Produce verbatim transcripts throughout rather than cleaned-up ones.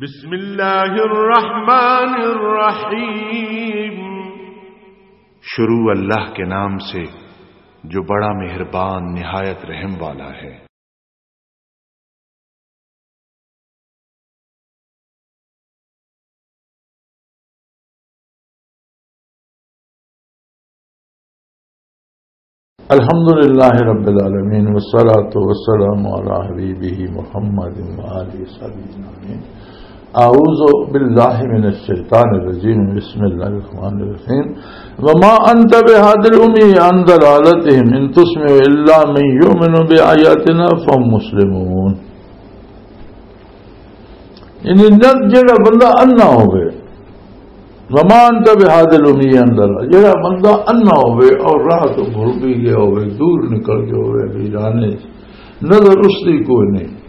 بسم اللہ الرحمن الرحیم۔ شروع اللہ کے نام سے، جو بڑا مہربان، نہایت رحم والا ہے۔ الحمد لله رب العالمين، والصلاة والسلام على حبيبه محمد وآله وصحبه أجمعين. أعوذ بالله من الشيطان الرجيم. بسم الله الرحمن الرحيم. وما أنت بهاد الأمي عن ضلالتهم إن تسمع إلا من يؤمن بآياتنا فهم مسلمون. یعنی نہ، جڑا بندہ انا ہوئے، وما انت بهاد الأمي عن ضلالتهم، جڑا بندہ انا ہوئے اور راہ تو بھول بھی گیا ہوئے، دور نکل گیا ہوئے، ویرانے، نظر اس دی کوئی نہیں،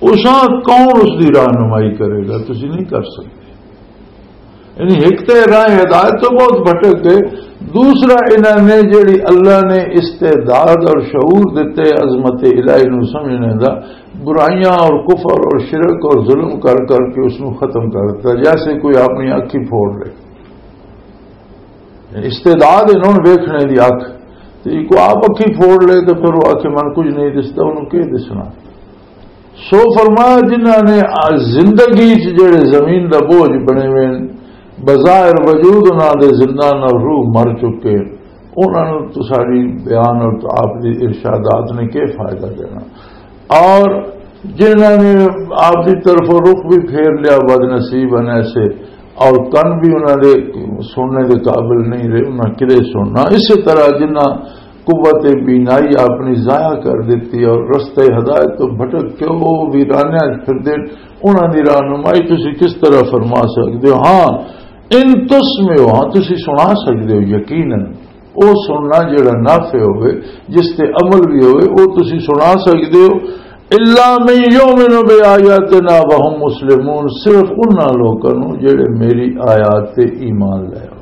اساں کون اس دی رہنمائی کرے گا؟ تسی نہیں کر سکتے۔ یعنی ایک تے راہ ہدایت تو بہت بھٹک گئے، دوسرا انہاں نے جڑی اللہ نے استعداد اور شعور دتے عظمت الہی نو سمجھنے دا، برائیاں اور کفر اور شرک اور ظلم کر کر کے اس نو ختم کر دتا، جیسے کوئی اپنی اکھی پھوڑ لے۔ استعداد انہوں نے ویکھنے دی اکھ، تے کوئی آپ اکھی پھوڑ لے تے پھر وہ آکھے، "من کچھ نہیں دستا"، انہوں کی دسنا؟ سو فرمایا، جنہاں نے آ زندگی چ جڑے زمین دا بوجھ بنے ہوئے، بظاہر وجود انہاں دے زندہ نہ، روح مر چکے، انہاں نوں تو ساری بیان اور تو آپ دی ارشادات نے کیا فائدہ دینا؟ اور جنہاں نے آپ دی طرف رخ بھی پھیر لیا، بد نصیب ہیں ایسے، اور کن بھی انہاں دے سننے دے قابل نہیں رہے، انہاں کدے سننا۔ اسی طرح جنہاں قوت بینائی اپنی ضائع کر دیتی اور رستہ ہدایت تو بھٹک کے وہ ویرانیاں وچ پھردے، انہاں دی رہنمائی تسی کس طرح فرما سکدے ہو؟ ہاں، ان تسمعوا، ہاں، تسی سنا سکدے ہو، یقیناً۔ او سننا جڑا نافع ہوئے، جس تے عمل بھی ہوئے، او تسی سنا سکدے ہو۔ الا من یؤمن بآیاتنا وهم مسلمون، صرف انہاں لوکاں نوں جڑے میری آیات تے ایمان لے آؤ۔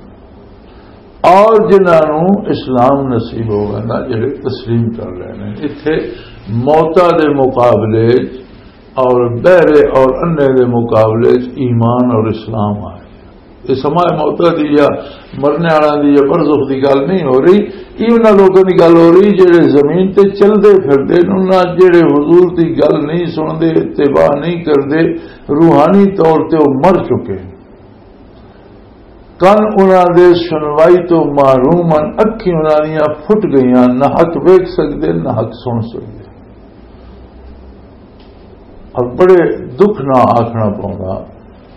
اور جنہاں نوں اسلام نصیب ہوگا نا، جڑے تسلیم کر لینے۔ اتھے موتا دے مقابلے اور بہرے اور انے دے مقابلے چ ایمان اور اسلام آئے۔ یہ سماع موتا دی یا مرنے والا دی یا برزخ دی گل نہیں ہو رہی، یہ انہاں لوگوں دی گل ہو رہی جڑے زمین تے چلدے پھردے نے، انہاں جڑے حضور دی گل نہیں سندے، اتباع نہیں کردے، روحانی طور تے وہ مر چکے۔ کن انہاں دے سنوائی تو محروم ہن، اکھیں انہاں دیاں پھٹ گئیاں، نہ حق ویکھ سکدے، نہ حق سن سکدے۔ اور بڑے دکھ نہ آکھنا پوندا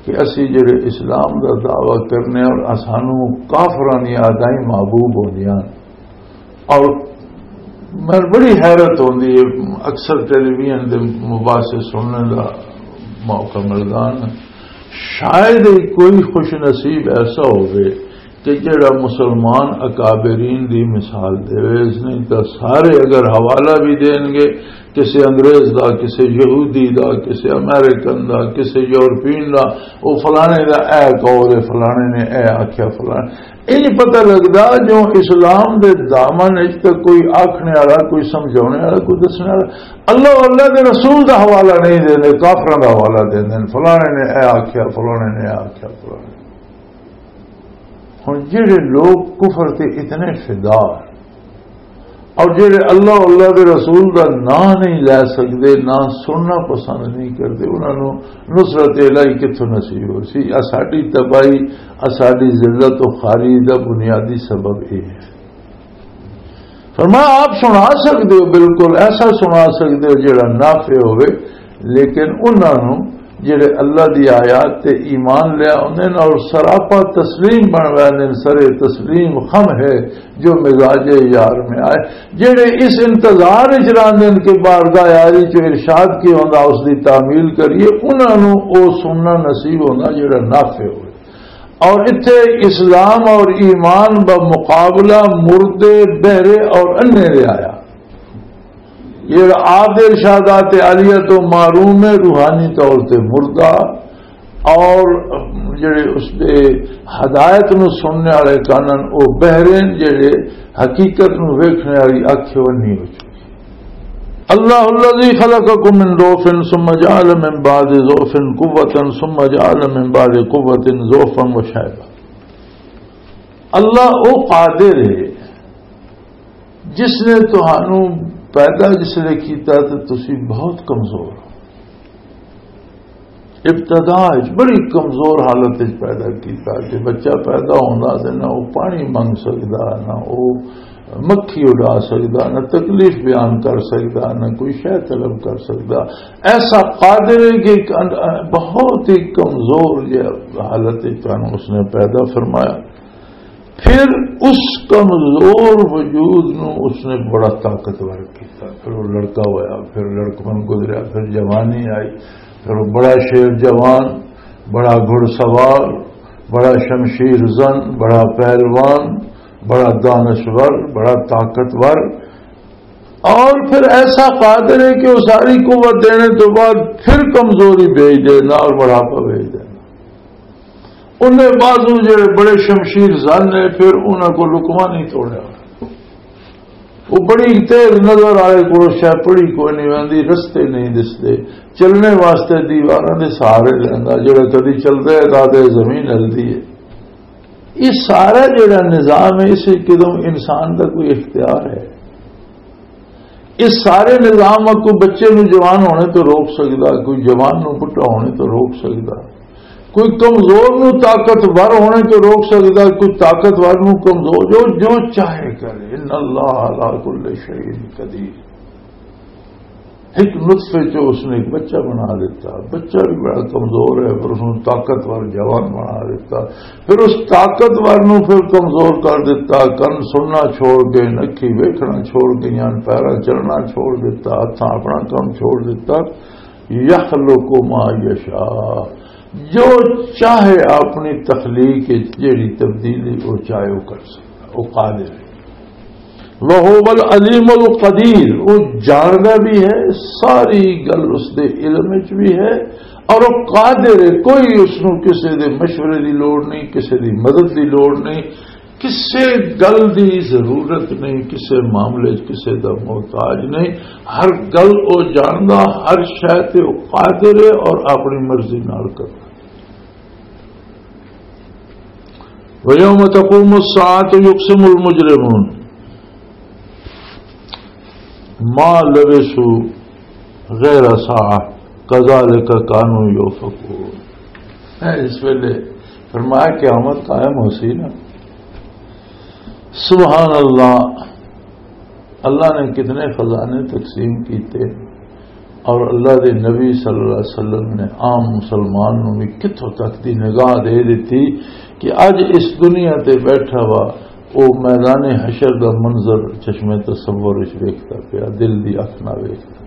کہ اسی جڑے اسلام دا دعویٰ کرنے اور اسانوں کافراں دی آدائیں محبوب ہوندیاں۔ اور میں بڑی حیرت ہوندی ہے، اکثر ٹیلی ویژن دے مباحثے سننے دا موقع ملدا نا۔ شاید ہی کوئی خوش نصیب ایسا ہووے کہ جڑا مسلمان اکابرین دی مثال دے، اس نہیں تو سارے اگر حوالہ بھی دین گے، کسی انگریز دا، کسی یہودی دا، کسی امریکن دا، کسی یورپین دا، او فلانے دا اے قول ہے، فلانے نے اے آکھیا، فلانے، یہ نہیں پتہ لگدا جو اسلام دے دامن وچ تے کوئی آکھنے والا، کوئی سمجھانے والا، کوئی دسنے والا۔ اللہ، اللہ دے رسول دا حوالہ نہیں دیندے، کافراں دا حوالہ دیندے نے، فلانے نے اے آکھیا، فلانے نے اے آکھیا، فلانے۔ ہن جڑے لوگ کفر تے اتنے فدا اور جڑے اللہ، اللہ دے رسول دا نام نہیں لے سکدے، نہ سننا پسند نہیں کردے، انہاں نوں نصرت الہی کتھوں نصیب ہو سی؟ آ ساڈی تباہی، آ ساڈی ذلت و خواری دا بنیادی سبب یہ ہے۔ فرمایا، آپ سنا سکدے ہو، بالکل ایسا سنا سکدے ہو جڑا نافع ہوئے، لیکن انہاں نوں جڑے اللہ دی آیات تے ایمان لیا ہوندے نے اور سراپا تسلیم بن ویندے نے، سرے تسلیم خم ہے جو مزاج یار میں آئے، جڑے اس انتظار وچ رہندے نے کہ بارگاہ یاری چ ارشاد کی ہوندا، اس دی تعمیل کریے، انہاں نوں او سننا نصیب ہوندا جڑا نافع ہوئے۔ اور اتھے اسلام اور ایمان بمقابلہ مردے، بہرے اور انے دے آیا۔ یہ آپ دے ارشادات عالیہ تو محروم ہے، روحانی طور تے مردہ، اور جڑے اس دے ہدایت نو سننے والے کانن، او بہرین، جڑے حقیقت نو ویکھنے والی اکھ وہ نہیں ہو چکی۔ اللہ الذی خلقکم من ضعف ثم جعل من بعد ضعف قوة ثم جعل من بعد قوة ضعفا وشیبا۔ اللہ او قادر ہے جس نے تہانوں پیدا جس نے کیتا تے تسی بہت کمزور ہو۔ ابتدا وچ بڑی کمزور حالت وچ پیدا کیتا کہ بچہ پیدا ہوندا تے نہ او پانی منگ سکدا، نہ او مکھی اڈا سکدا، نہ تکلیف بیان کر سکدا، نہ کوئی شے طلب کر سکدا۔ ایسا قادر ہے کہ ایک ان-، بہت ہی کمزور جہی حالت وچ تانوں اس نے پیدا فرمایا۔ پھر اس کمزور وجود نو اس نے بڑا طاقتور کیتا۔ پھر وہ لڑکا ہویا، پھر لڑکپن گزریا، پھر جوانی آئی، پھر وہ بڑا شیر جوان، بڑا گھڑ سوار، بڑا شمشیر زن، بڑا پہلوان، بڑا دانشور، بڑا طاقتور۔ اور پھر ایسا قادر ہے کہ وہ ساری قوت دینے تو بعد پھر کمزوری بھیج دے، نال بڑھاپا بھیج دے۔ انہیں بازو جڑے بڑے شمشیر زن نے، پھر انہاں کو لقمہ نہیں توڑیا۔ وہ بڑی تیز نظر والے کو شاید پڑھی کوئی نہیں آندی، رستے نہیں دستے، چلنے واسطے دیواراں دے سہارے لیندا، جڑا کدی چلدا ہے تاں تے زمین ہلدی ہے۔ یہ سارا جڑا نظام ہے، اس وچ کدوں انسان دا کوئی اختیار ہے؟ اس سارے نظام کو بچے نو جوان ہونے تو روک سکدا، کوئی جوان نو بڈھا ہونے تو روک سکدا، کوئی کمزور نو طاقتور ہونے تو روک سکدا، کوئی طاقتور نو کمزور، جو، جو چاہے کرے۔ ان اللہ علی کل شیء قدیر۔ ایک نطفے چ اس نے ایک بچہ بنا دیتا، بچہ بھی بڑا کمزور ہے، پر اس نے طاقتور جوان بنا دیتا۔ پھر اس طاقتور نو پھر کمزور کر دیتا، کن سننا چھوڑ گئے، اکھی ویکھنا چھوڑ گئیاں، پیراں چلنا چھوڑ دیتا، ہتھاں اپنا کم چھوڑ دیتا۔ یخلق ما یشاء، جو چاہے اپنی تخلیق وچ جیڑی تبدیلی وہ چاہے وہ کر سکتا، وہ قادر ہے۔ وَهُوَ الْعَلِيمُ الْقَدِيرُ، وہ جاندا بھی ہے، ساری گل اس دے علم وچ بھی ہے، اور وہ قادر ہے، کوئی اس نوں کسے دے مشورے دی لوڑ نہیں، کسے دی مدد دی لوڑ نہیں، کسے گل دی ضرورت نہیں، کسے معاملے وچ کسے دا محتاج نہیں۔ ہر گل وہ جاندا، ہر شے تے وہ قادر ہے اور اپنی مرضی نال کردا۔ وَيَوْمَ تَقُومُ السَّاعَةُ يُقْسِمُ الْمُجْرِمُونَ مَا لَبِثُوا غَيْرَ سَاعَةٍ كَذَلِكَ كَانُوا يُؤْفَكُونَ۔ اے، اس ویلے فرمایا قیامت قائم ہو سی نا۔ سبحان اللہ، اللہ نے کتنے خزانے تقسیم کیتے، اور اللہ دے نبی صلی اللہ علیہ وسلم نے عام مسلمان نوں بھی کتھوں تک دی نگاہ دے دتی کہ اج اس دنیا تے بیٹھا ہوا او میدان حشر دا منظر چشمے تصور وچ ویکھدا پیا، دل دی اکھ نہ ویکھدا۔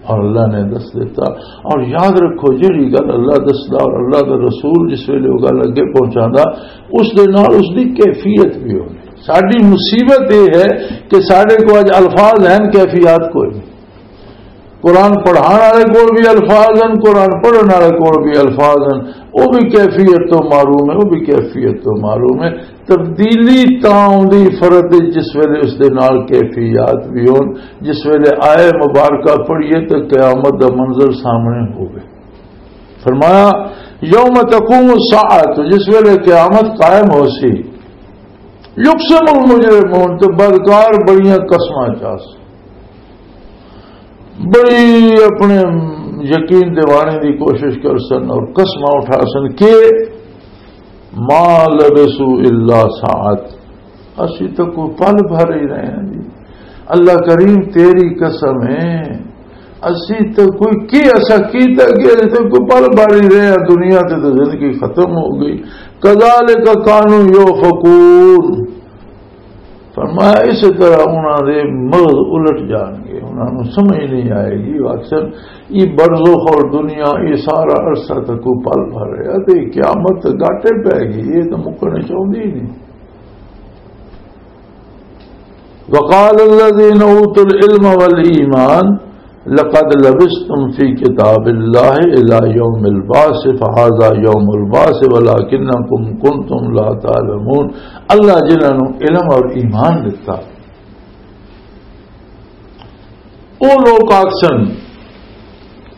اور اللہ نے دس دیتا۔ اور یاد رکھو، جیڑی گل اللہ دسدا اور اللہ دا رسول جس ویلے وہ گل اگے پہنچاندا، اس دے نال اس دی کیفیت بھی ہونی۔ ساڈی مصیبت یہ ہے کہ ساڈے کو اج الفاظ ہیں، کیفیات کوئی نہیں۔ قرآن پڑھان والے کول بھی الفاظ ہیں، قرآن پڑھن والے کول بھی الفاظ ہیں، وہ بھی کیفیت تو معروم ہے، وہ بھی کیفیت تو معروم ہے۔ تبدیلی تاں آؤندی فرد دی جس ویلے اس دے نال کیفیات بھی ہون، جس ویلے آئے مبارکہ پڑھیے تو قیامت دا منظر سامنے ہوگی۔ فرمایا، یوم تقوم الساعۃ، جس ویلے قیامت قائم ہو سی، یقسم المجرمون، تے بدکار بڑیاں قسماں چاس، بڑی اپنے یقین دیوانے دی کوشش کر سن اور قسماں اٹھا سن کہ ما لبثوا الا ساعۃ، اسی تو کوئی پل بھر ہی رہے ہیں جی۔ اللہ کریم، تیری قسم ہے، اسی تو کوئی کی ایسا کیتا کہ اسی تو کوئی پل بھر ہی رہے ہیں، دنیا تے تو زندگی ختم ہو گئی۔ کذالک کانوا یؤفکون۔ فرمایا، اسی طرح انہاں دے مغز الٹ جان گے، انہاں نوں سمجھ نہیں آئے گی۔ اکثر یہ برزخ اور دنیا، یہ سارا عرصہ تک کوئی پل بھر رہا تے قیامت گاٹے پہ گئی، یہ تو مکنے چاہندی ہی نہیں۔ وقال الذين اوتوا العلم والایمان لقد لبثتم في كتاب الله الى يوم البعث فهذا يوم البعث ولكنكم كنتم لا تعلمون۔ اللہ جنہاں نوں علم اور ایمان دتا، او لوگ آکسن،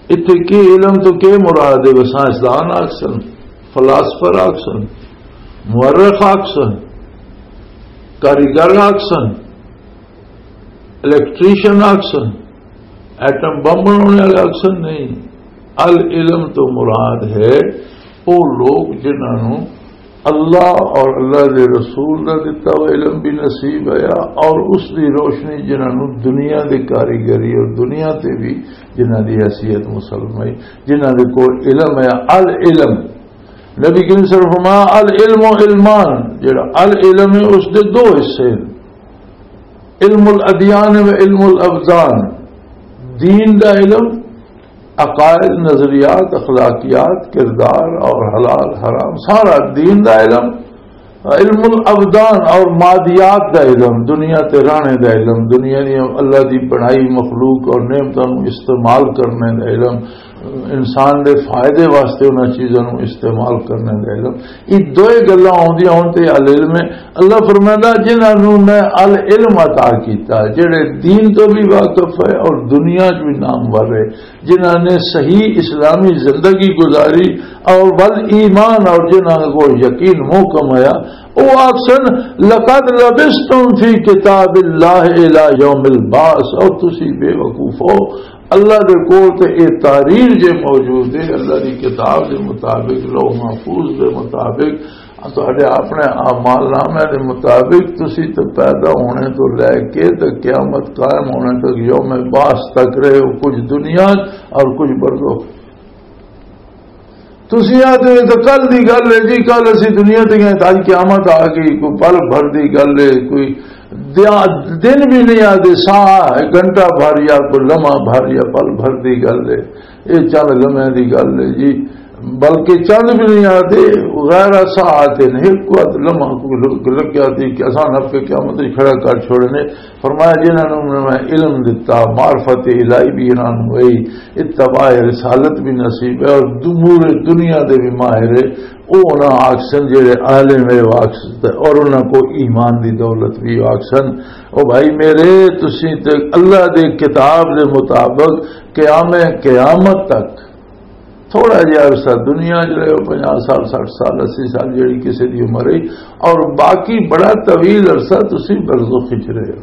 اتھے کی علم تو کی مراد ہے؟ وہ سائنسدان آکسن، فلاسفر آکسن، مورخ آکسن، کاریگر آکسن، الیکٹریشن آکسن، ایٹم بم بنانے والے آکسن؟ نہیں۔ العلم تو مراد ہے او لوگ جنہاں نوں اللہ اور اللہ دے رسول دا دتا ہوا علم بھی نصیب ہویا، اور اس دی روشنی جنہاں نوں دنیا دی کاریگری اور دنیا تے بھی جنہاں دی حیثیت مسلم ہے، جنہاں دے کول علم ہے۔ العلم، نبی کریم صلی اللہ علیہ وسلم فرمایا، "العلم علمان"، جڑا العلم ہے، اس دے دو حصے ہیں، علم الادیان و علم الابدان، دین دا علم، عقائد، نظریات، اخلاقیات، کردار اور حلال حرام، سارا دین دا علم، علم الابدان اور مادیات دا علم، دنیا تے رہنے دا علم، دنیا دی اللہ دی بنائی مخلوق اور نعمتاں نوں استعمال کرنے دا علم، انسان دے فائدے واسطے انہاں چیزاں نوں استعمال کرنے دا علم۔ یہ دوئے گلاں آوندیاں ہون تے العلم ہے۔ اللہ فرمائندا، "جنہاں نوں میں العلم عطا کیتا، جڑے دین تو بھی واقف ہے اور دنیا چ بھی نامور ہے، جنہاں نے صحیح اسلامی زندگی گزاری اور بل ایمان، اور جنہاں کو یقین محکم آیا، او آکسن، 'لقد لبثتم فی کتاب اللہ الی یوم البعث'، اور تسی بے وقوف ہو، اللہ دے کول تے اے تحریر جے موجود ہے، اللہ دی کتاب دے مطابق، لوح محفوظ دے مطابق، تہاڈے اپنے اعمال نامے دے مطابق، تسی تے پیدا ہونے تو لے کے تے قیامت قائم ہونے تک، یوم بعث تک رہے ہو، کچھ دنیا اور کچھ برزخ۔ تسی آدھے تو کل دی گل ہے جی، کل اسی دنیا تے گئے، اج قیامت آ گئی، کوئی پل بھر دی گل ہے، کوئی دیا-، دن بھی نہیں آدھے، ساہ ہے، گھنٹہ بھر یا کوئی لمحہ بھر یا پل بھر دی گل ہے، یہ چند لمحے دی گل ہے جی، بلکہ چند بھی نہیں آدھے، غیر ساعت نہیں، ایک وقت لمحہ کوئی لگ-، لگ جاتی کہ آسان آپ کے قیامت ہی کھڑا کر چھوڑنے۔ فرمایا، "جنہاں نوں میں علم دتا، معرفت الہی بھی انہاں نوں ہوئی، اتباع رسالت بھی نصیب ہے، اور امور دنیا دے بھی ماہر ہے۔" او انہاں آکسن جڑے عالم ہے، او آکسن، اور انہاں کو ایمان دی دولت بھی آکسن۔ او بھائی میرے، تسی تے اللہ دے کتاب دے مطابق قیام قیامت تک تھوڑا جہا عرصہ دنیا چ رہو، پنجاہ سال، سٹھ سال، اسی سال، جڑی کسی دی عمر ہے، اور باقی بڑا طویل عرصہ تسی برزخ وچ رہو۔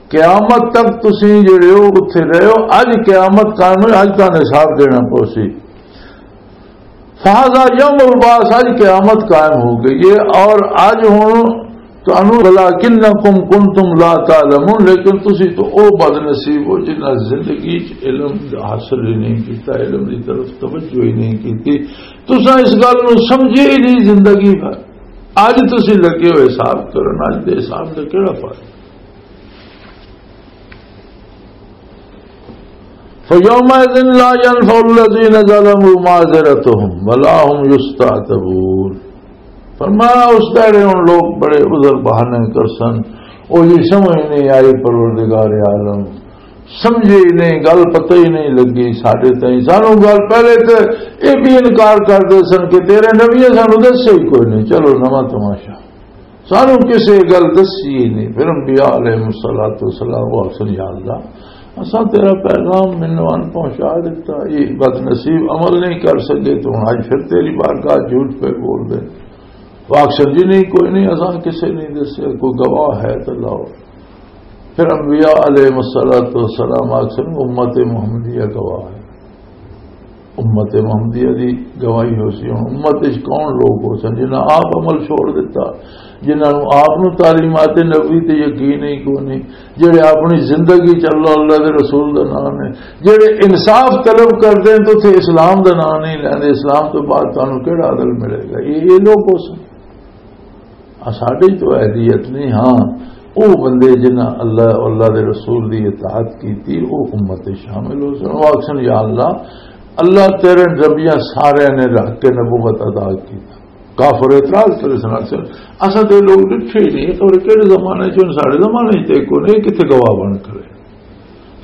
قیامت تک تسی جڑے ہو، اتھے رہو۔ اج قیامت قائم ہوئی، اج تانوں حساب دینا پوسی۔ فہذا یوم البعث، اج قیامت قائم ہو گئی ہے، اور اج ہن تانوں، ولکنکم کنتم لا تعلمون، لیکن تسی تو او بد نصیب ہو جنہاں زندگی چ علم حاصل ہی نہیں کیتا، علم دی طرف توجہ ہی نہیں کیتی۔ تساں اس گل نوں سمجھے ہی نہیں زندگی بھر۔ اج تسی لگے ہوئے حساب کرن، اج دے حساب دا کیڑا فرق؟ فیومئذ لا ینفع الذین ظلموا معذرتهم ولا هم یستعتبون۔ فرمایا، اس دہڑے ہن لوگ بڑے عذر بہانے کرسن، او یہ سمجھ نہیں آئی پروردگار عالم، سمجھے ہی نہیں، گل پتہ ہی نہیں لگی ساڈے تائیں۔ سانو گل پہلے تے یہ بھی انکار کر دے سن کہ تیرے نبی سانو دسے ہی کوئی نہیں، چلو نواں تماشا۔ سانو کسے گل دسی ہی نہیں۔ پھر انبیاء علیہ الصلوۃ والسلام وہ آکھن، "یا اللہ، اساں تیرا پیغام مینوں ان پہنچا دیتا، یہ بد نصیب عمل نہیں کر سکے، تو ہن اج پھر تیری بارگاہ جھوٹ پہ بول دے۔" وہ آکھن، "جی نہیں، کوئی نہیں، اساں کسے نہیں دسیا، کوئی گواہ ہے تو لاؤ۔" پھر انبیاء علیہ الصلوۃ والسلام آکھن، "امت محمدیہ گواہ ہے۔" امت محمدیہ دی گواہی ہو سی۔ ہن امت وچ کون لوگ ہو سن جنہاں آپ عمل چھوڑ دیتا، جنہاں نوں آپ نوں تعلیمات نبوی تے یقین ہی کوئی نہیں، جڑے اپنی زندگی چ اللہ، اللہ دے رسول دا نام ہے، جڑے انصاف طلب کردے ہیں تو اتھے اسلام دا نام نہیں لیندے، اسلام تو بعد تانوں کیڑا عدل ملے گا؟ یہ، یہ لوگ ہو سن۔ آ، ساڈے تو اہلیت نہیں۔ ہاں، او بندے جنہاں اللہ، اللہ دے رسول دی اطاعت کیتی، او امت دے شامل ہو سن۔ او آکھسن، "یا اللہ، اللہ تیرے نبیاں سارے نے رکھ کے نبوت ادا کیتا۔" کافر اعتراض کرے سن، آکھسن، "اساں تے لوگ ڈٹھے ہی نہیں، تو کہڑے زمانے چ ہن؟ ساڈے زمانے چ تے کوئی نہیں، کتھے گواہ بن کھڑے؟"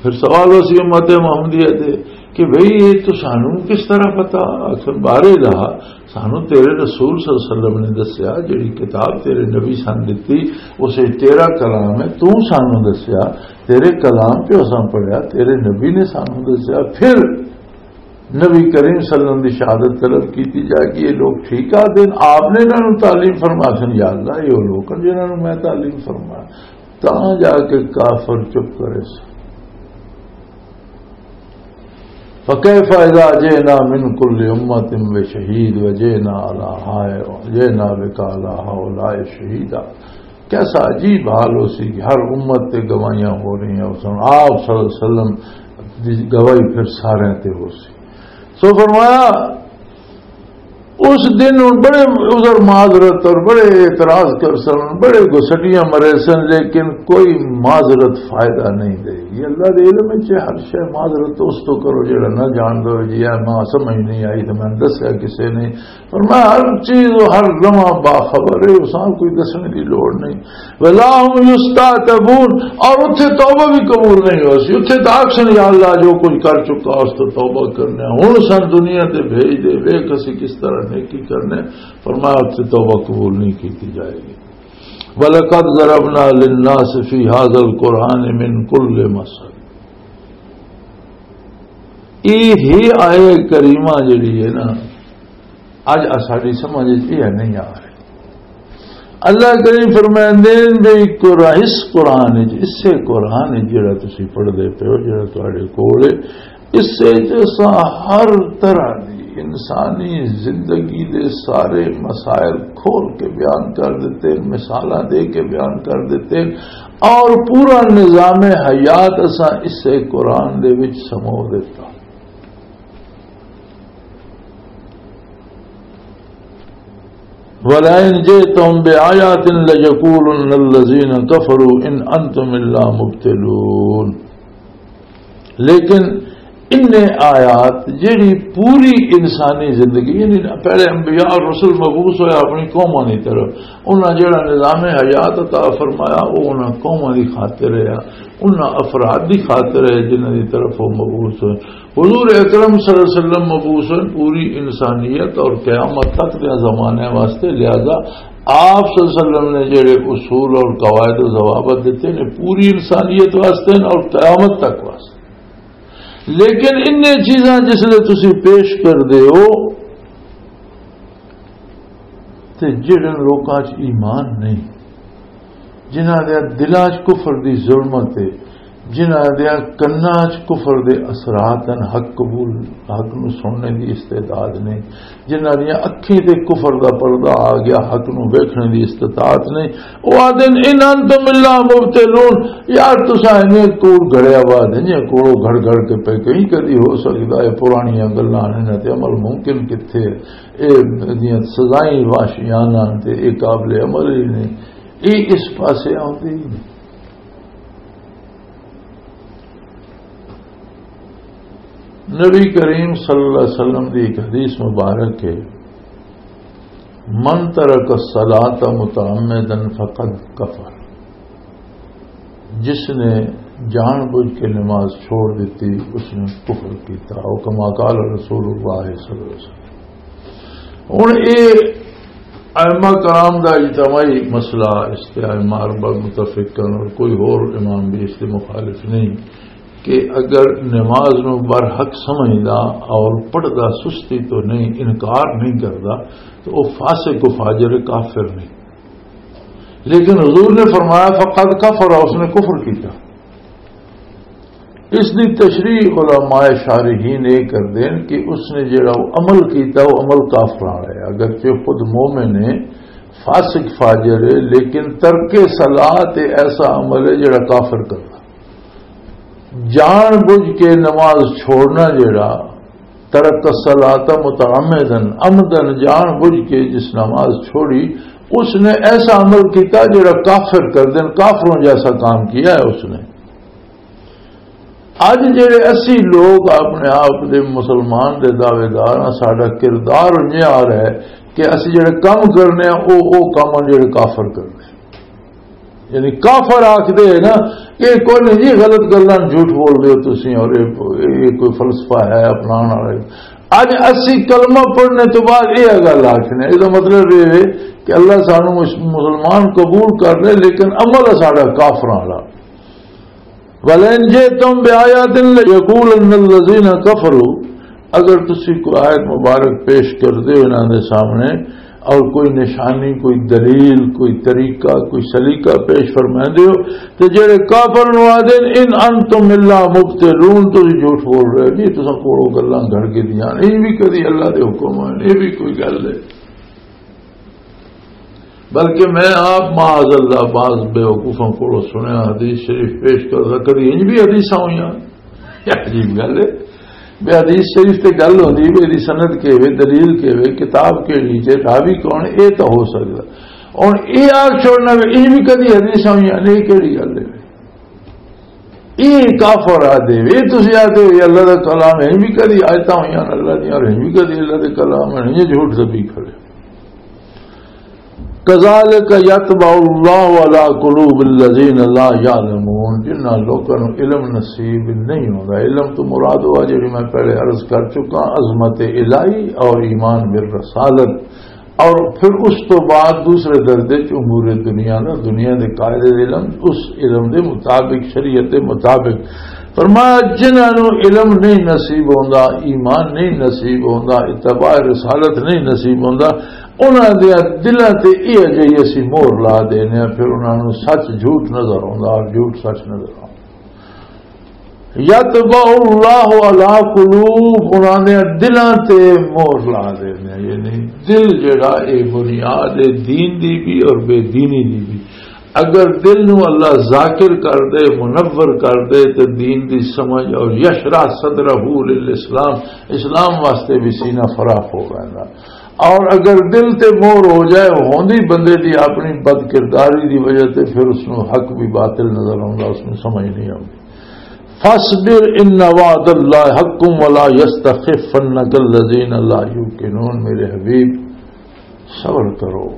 پھر سوال اسی امت محمدیہ تے، کہ بھئی، یہ تو سانوں کس طرح پتا؟ آخر بارے دا سانوں تیرے رسول صلی اللہ علیہ وسلم نے دسیا، جڑی کتاب تیرے نبی سان دتی، اسے تیرا کلام ہے، تو سانوں دسیا، تیرے کلام چ اساں پڑھیا، تیرے نبی نے سانوں دسیا۔ پھر نبی کریم صلی اللہ علیہ وسلم دی شہادت طلب کیتی جائے کہ یہ لوگ ٹھیک آ دین؟ آپ نے انہاں نوں تعلیم فرما سن، یا اللہ، یہ لوگ ہیں جنہاں نوں میں تعلیم فرما۔ تاں جا کے کافر چپ کرے سن۔ فَكَيْفَ إِذَا جِئْنَا مِنْ كُلِّ أُمَّةٍ بِشَهِيدٍ وَجِئْنَا عَلَى هَا-، وَجِئْنَا بِكَ عَلَى هَؤُلَاءِ شَهِيدًا۔ کیسا عجیب حال ہو سی کہ ہر امت تے گواہیاں ہو رہی ہیں، اس وقت آپ صلی اللہ علیہ وسلم دی گواہی پھر سارے تے ہو سی۔ سو فرمایا، اس دن ہن بڑے عذر معذرت اور بڑے اعتراض کر سن، بڑے گسٹیاں مرے سن، لیکن کوئی معذرت فائدہ نہیں دے گی۔ اللہ دے علم وچ ہر شے، معذرت اس تو کرو جڑا نہ جاندا ہوئے، جی اے ماں سمجھ نہیں آئی تے میں دسیا کسے نے۔ اور میں ہر چیز و ہر لمحہ باخبر ہے، اساں کوئی دسنے دی لوڑ نہیں۔ ولا هم يستعتبون، اور اتھے توبہ بھی قبول نہیں ہو سی۔ اتھے تو آکھن، یا اللہ، جو کچھ کر چکا اس تو توبہ کرنے، ہن سن دنیا تے بھیج دے، ویکھ اسی کس طرح نیکی کرنے۔ فرمایا، اتھے توبہ قبول نہیں کیتی جائے گی۔ وَلَقَدْ ضَرَبْنَا لِلنَّاسِ فِي هَذَا الْقُرْآنِ مِنْ كُلِّ مَثَلٍ۔ یہ ہی آیت کریمہ جڑی ہے نا، اج ساڈی سمجھ وچ یہ نہیں آ رہی۔ اللہ کریم فرمائندے نے، بھی قرآن، اس قرآن وچ، اسے قرآن وچ جڑا تسی پڑھدے پے ہو، جڑا تہاڈے کول ہے، اس وچ اساں ہر طرح دی انسانی زندگی دے سارے مسائل کھول کے بیان کر دیتے، مثالاں دے کے بیان کر دیتے، اور پورا نظام حیات اساں اسے قرآن دے وچ سمو دیتا۔ وَلَئِن جِئْتَهُم بِآيَاتٍ لَّيَقُولُنَّ الَّذِينَ كَفَرُوا إِنْ أَنتُمْ إِلَّا مُبْطِلُونَ۔ لیکن انہیں آیات، جڑی پوری انسانی زندگی، یعنی پہلے انبیاء اور رسول مبعوث ہوئے اپنی قوموں کی طرف، انہاں جڑا نظام حیات عطا فرمایا، وہ انہاں قوموں کی خاطر ہے، انہاں افراد کی خاطر ہے جنہاں کی طرف وہ مبعوث ہوئے۔ حضور اکرم صلی اللہ علیہ وسلم مبعوث ہوئے پوری انسانیت اور قیامت تک دے زمانے واسطے، لہذا آپ صلی اللہ علیہ وسلم نے جڑے اصول اور قواعد و ضوابط دیتے ہیں، پوری انسانیت واسطے اور قیامت تک واسطے۔ لیکن انہیں چیزاں جس لئے تسی پیش کر دے ہو، تے جڑے لوکاں چ ایمان نہیں، جنہاں دے دلاں چ کفر دی ظلمت ہے، جنہاں دے کناں چ کفر دے اثرات ہیں، حق قبول، حق نو سننے دی استعداد نہیں، جنہاں دیاں اکھیں تے کفر دا پردہ آ گیا، حق نو ویکھنے دی استطاعت نہیں، او آدن ان انتم الا مبتلون۔ یار، تساں ایویں کوڑ گھڑیا وا دے، جے کوڑو گھڑ گھڑ کے پے کہیں، کدی ہو سکدا ہے پرانیاں گلاں، انہاں تے عمل ممکن کتھے، اے دیاں سزائیں واشیانہ تے اے قابل عمل ہی نہیں، اے اس پاسے آندے ہی نہیں۔ نبی کریم صلی اللہ علیہ وسلم دی ایک حدیث مبارک ہے، من ترک الصلاۃ متعمدا فقد کفر، جس نے جان بوجھ کے نماز چھوڑ دیتی، اس نے کفر کیتا، او کما قال رسول اللہ صلی اللہ علیہ وسلم۔ ہن اے ائمہ کرام دا اجتماعی مسئلہ، اس تے ائمہ اربعہ متفق ہن اور کوئی ہور امام بھی اس دے مخالف نہیں کہ اگر نماز نو برحق سمجھدا اور پڑھدا سستی تو نہیں، انکار نہیں کردا، تو وہ فاسق و فاجر کافر نہیں۔ لیکن حضور نے فرمایا، فقد کفر، اس نے کفر کیتا۔ اس دی تشریح علماء شارحین یہ کر دین کہ اس نے جڑا وہ عمل کیتا، وہ عمل کافر والا ہے۔ اگرچہ خود مومن ہے، فاسق فاجر ہے، لیکن ترک صلاۃ ایسا عمل ہے جڑا کافر کرتا۔ جان بوجھ کے نماز چھوڑنا جڑا، ترک الصلاۃ متعمدا، عمدن جان بوجھ کے جس نماز چھوڑی، اس نے ایسا عمل کیتا جڑا کافر کر دین، کافروں جیسا کام کیا ہے اس نے۔ اج جڑے اسی لوگ اپنے آپ دے مسلمان دے دعوے دار ہاں، ساڈا کردار انجے آ رہا ہے کہ اسی جڑے کم کرنے ہیں، او، او کم ہیں جڑے کافر کرنے ہیں۔ یعنی کافر آکھدے ہیں نا، یہ کوئی نہیں جی، غلط گلاں جھوٹ بول رہے ہو تسی، اور یہ، یہ کوئی فلسفہ ہے اپناؤن والے۔ اج اسی کلمہ پڑھنے تو بعد یہ گل آخنے، یہ مطلب یہ ہے کہ اللہ سانو اس مسلمان قبول کر لے، لیکن عمل ہے ساڈا کافراں والا۔ وَلَئِن جِئْتُم بِآيَاتٍ لَيَقُولَنَّ الَّذِينَ كَفَرُوا، اگر تسی کوئی آیت مبارک پیش کر دے انہاں دے سامنے، اور کوئی نشانی، کوئی دلیل، کوئی طریقہ، کوئی سلیقہ پیش فرما دے ہو، تے جڑے کافر نو آدے، "ان انتم الا مبتلون"، تسی جھوٹ بول رہے جی، تساں کولوں گلاں گھڑ کے دیاں، یہ بھی کدی اللہ دے حکم ہوئے، یہ بھی کوئی گل ہے؟ بلکہ میں آپ معاذ اللہ بعض بیوقوفاں کولوں سنیا حدیث شریف پیش کردا، کدی انج بھی حدیثاں ہوئیاں؟ یہ عجیب گل ہے۔ بے حدیث شریف تے گل ہوندی، بے دی سند کے وے، دلیل کے وے، کتاب کیڑی جے، راوی کون، اے تاں ہو سکدا۔ ہن اے آکھ چھوڑنا وے، اے بھی کدی حدیثاں ہوئیاں نے، اے کیڑی گل ہے؟ اے کافر آ دے وے، تسی آ دے وے، اللہ دا کلام ہے، اے بھی کدی آیتاں ہوئیاں نے اللہ دیاں، اور اے بھی کدی اللہ دے کلام ہے، یہ جھوٹ دبی کھڑے۔ کذالک یطبع اللہ علی قلوب الذین لا یعلمون، جنہاں لوکاں نوں علم نصیب نہیں ہوندا۔ علم تو مراد ہوا جڑی میں پہلے عرض کر چکا، عظمت الہی اور ایمان بالرسالت، اور پھر اس تو بعد دوسرے درجے چ امور دنیا نا، دنیا دے قاعدے علم، اس علم دے مطابق، شریعت دے مطابق۔ فرمایا، جنہاں نوں علم نہیں نصیب ہوندا، ایمان نہیں نصیب ہوندا، اتباع رسالت نہیں نصیب ہوندا، انہاں دیاں دلاں تے یہ جہی اسی مہر لا دینے آں، پھر انہاں نوں سچ جھوٹ نظر آوندا اور جھوٹ سچ نظر آوندا۔ یطبع اللہ علی قلوب، انہاں دیاں دلاں تے مہر لا دینے آں، یعنی دل جڑا اے بنیاد ہے دین دی بھی اور بے دینی دی بھی۔ اگر دل نو اللہ ذاکر کر دے، منور کر دے، تے دین دی سمجھ اور یشرح صدرہ للاسلام، اسلام واسطے بھی سینہ فراخ ہو ویندا۔ اور اگر دل تے مور ہو جائے، ہوندی بندے دی اپنی بد کرداری دی وجہ تے، پھر اس نو حق بھی باطل نظر آوندا، اس نو سمجھ نہیں آوندی۔ فاصبر ان وعد اللہ حق ولا یستخفنک الذین لا یوقنون، میرے حبیب، صبر کرو،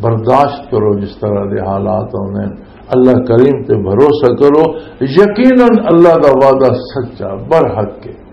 برداشت کرو، جس طرح دے حالات ہوندے ہیں، اللہ کریم تے بھروسہ کرو۔ یقیناً اللہ دا وعدہ سچا، برحق ہے۔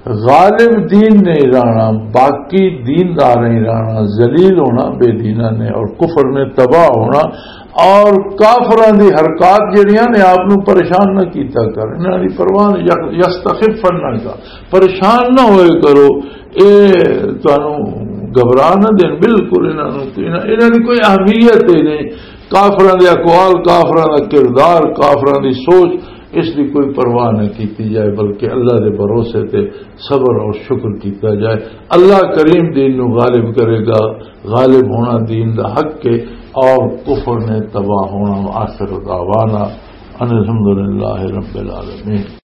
غالب دین نہیں رہنا، باقی دیندار نہیں رہنا، ذلیل ہونا بے دیناں نے اور کفر نے تباہ ہونا۔ اور کافراں دی حرکات جڑیاں نے آپ نو پریشان نہ کیتا کر، انہاں دی پرواہ نہ، یخ-، یستخفن نہ کر، پریشان نہ ہوئے کرو۔ اے تانوں گھبرا نہ دین، بالکل انہاں نوں، انہاں، انہاں دی کوئی اہمیت ہی نہیں۔ کافراں دے اقوال، کافراں دا کردار، کافراں دی سوچ، اس دی کوئی پرواہ نہ کیتی جائے، بلکہ اللہ دے بھروسے تے صبر اور شکر کیتا جائے۔ اللہ کریم دین نو غالب کرے گا۔ غالب ہونا دین دا حق ہے اور کفر نے تباہ ہونا۔ آخر دعوانا ان الحمدللہ رب العالمین۔